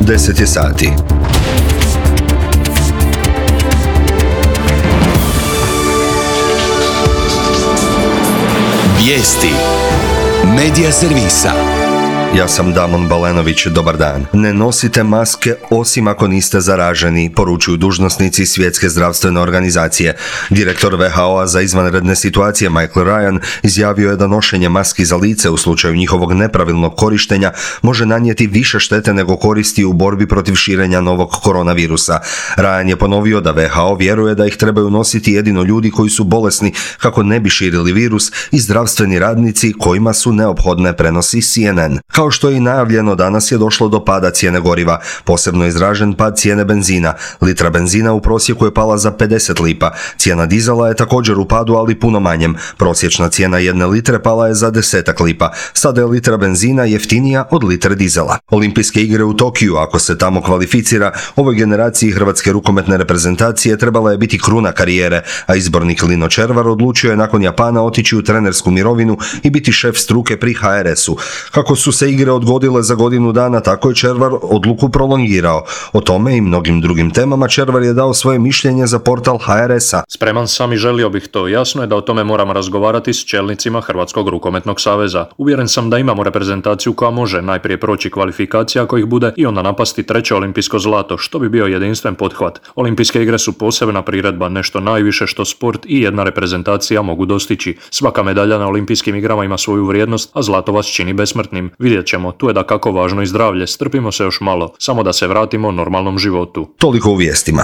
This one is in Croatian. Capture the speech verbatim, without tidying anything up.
deset je sati. Vijesti Medija servisa. Ja sam Damon Balenović, dobar dan. Ne nosite maske osim ako niste zaraženi, poručuju dužnosnici Svjetske zdravstvene organizacije. Direktor ve ha o-a za izvanredne situacije Michael Ryan izjavio je da nošenje maski za lice u slučaju njihovog nepravilnog korištenja može nanijeti više štete nego koristi u borbi protiv širenja novog koronavirusa. Ryan je ponovio da ve ha o vjeruje da ih trebaju nositi jedino ljudi koji su bolesni kako ne bi širili virus i zdravstveni radnici kojima su neophodne, prenosi C N N. Kao što je i najavljeno, danas je došlo do pada cijene goriva, posebno izražen pad cijene benzina. Litra benzina u prosjeku je pala za pedeset lipa. Cijena dizela je također u padu, ali puno manjem. Prosječna cijena jedne litre pala je za desetak lipa. Sada je litra benzina jeftinija od litre dizela. Olimpijske igre u Tokiju, ako se tamo kvalificira, ovoj generaciji hrvatske rukometne reprezentacije trebala je biti kruna karijere, a izbornik Lino Červar odlučio je nakon Japana otići u trenersku mirovinu i biti šef struke pri ha er esu. Kako su se igre odgodile za godinu dana, tako je Červar odluku prolongirao. O tome i mnogim drugim temama Červar je dao svoje mišljenje za portal ha er esa. Spreman sam i želio bih to. Jasno je da o tome moram razgovarati s čelnicima Hrvatskog rukometnog saveza. Uvjeren sam da imamo reprezentaciju koja može najprije proći kvalifikacija ako ih bude i onda napasti treće olimpijsko zlato, što bi bio jedinstven pothvat. Olimpijske igre su posebna priredba, nešto najviše što sport i jedna reprezentacija mogu dostići. Svaka medalja na olimpijskim igrama ima svoju vrijednost, a zlato vas čini besmrtnim. Vidjet ćemo, tu je dakako važno i zdravlje, strpimo se još malo, samo da se vratimo normalnom životu. Toliko u vijestima.